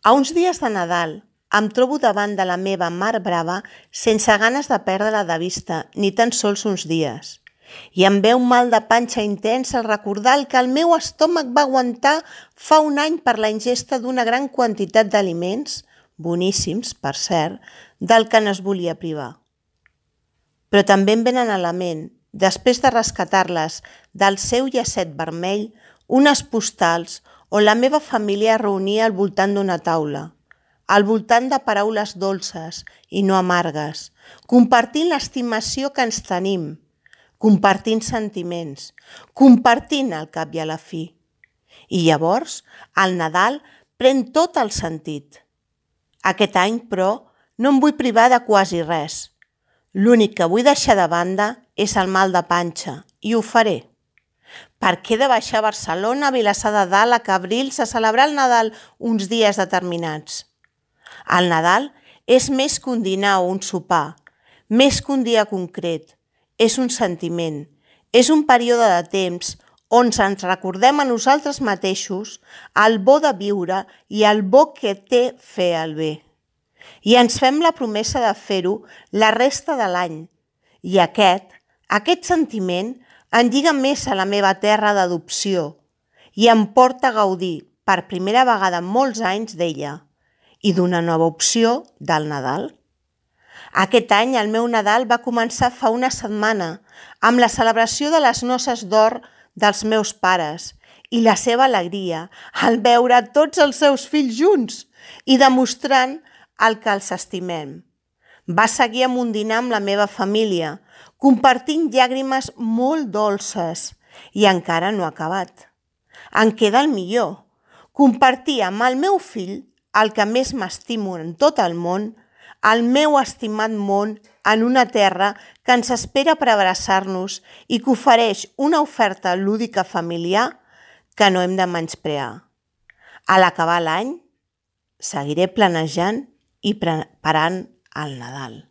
A uns dies de Nadal em trobo davant de la meva mar brava sense ganes de perdre-la de vista, ni tan sols uns dies. I em ve un mal de panxa intens al recordar el que el meu estómac va aguantar fa un any per la ingesta d'una gran quantitat d'aliments, boníssims, per cert, del que no es volia privar. Però també em venen a la ment, després de rescatar-les del seu llacet vermell, unes postals on la meva família es reunia al voltant d'una taula, al voltant de paraules dolces i no amargues, compartint l'estimació que ens tenim, compartint sentiments, compartint al cap i a la fi. I llavors, el Nadal pren tot el sentit. Aquest any, però, no em vull privar de quasi res. L'únic que vull deixar de banda és el mal de panxa, i ho faré. Per què he de baixar a Barcelona, a Vilassar de Dalt, a Cabrils, a celebrar el Nadal uns dies determinats? El Nadal és més que un dinar o un sopar, més que un dia concret. És un sentiment, és un període de temps on ens recordem a nosaltres mateixos el bo de viure i el bo que té fer el bé. I ens fem la promesa de fer-ho la resta de l'any. I aquest sentiment em lliga més a la meva terra d'adopció i em porta a gaudir per primera vegada en molts anys d'ella i d'una nova opció del Nadal. Aquest any el meu Nadal va començar fa una setmana amb la celebració de les noces d'or dels meus pares i la seva alegria al veure tots els seus fills junts i demostrant el que els estimem. Va seguir amb un dinar amb la meva família, compartint llàgrimes molt dolces i encara no ha acabat. En queda el millor, compartir amb el meu fill el que més m'estimo en tot el món, el meu estimat món en una terra que ens espera per abraçar-nos i que ofereix una oferta lúdica familiar que no hem de menysprear. A l'acabar l'any, seguiré planejant i preparant el Nadal.